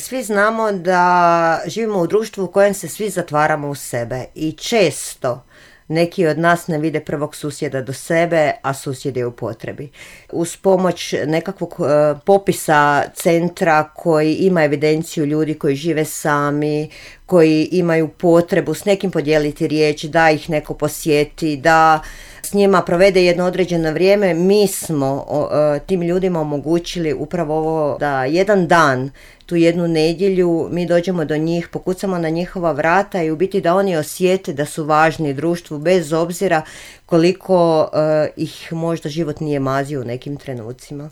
svi znamo da živimo u društvu u kojem se svi zatvaramo u sebe i često neki od nas ne vide prvog susjeda do sebe, a susjed je u potrebi. Uz pomoć nekakvog popisa centra koji ima evidenciju ljudi koji žive sami, koji imaju potrebu s nekim podijeliti riječ, da ih neko posjeti, da s njima provede jedno određeno vrijeme, mi smo tim ljudima omogućili upravo ovo da jedan dan, tu jednu nedjelju, mi dođemo do njih, pokucamo na njihova vrata i u biti da oni osjete da su važni društvu bez obzira koliko ih možda život nije mazio u nekim trenucima.